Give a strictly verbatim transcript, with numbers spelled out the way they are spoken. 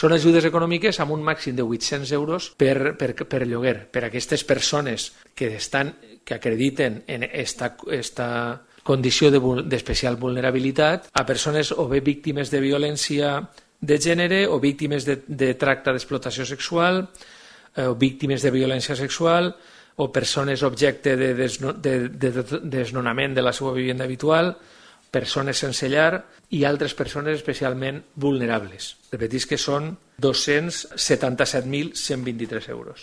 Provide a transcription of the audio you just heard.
Són ajudes econòmiques amb un màxim de vuit-cents euros per, per, per lloguer, per a aquestes persones que, estan, que acrediten en esta, esta condició d'especial vulnerabilitat, a persones o bé víctimes de violència de gènere o víctimes de, de tracte d'explotació sexual, eh, o víctimes de violència sexual, o persones objecte de, desno, de, de, de desnonament de la seva vivenda habitual, persones sense llar i altres persones especialment vulnerables. Repetis que són dos-cents setanta-set mil cent vint-i-tres euros.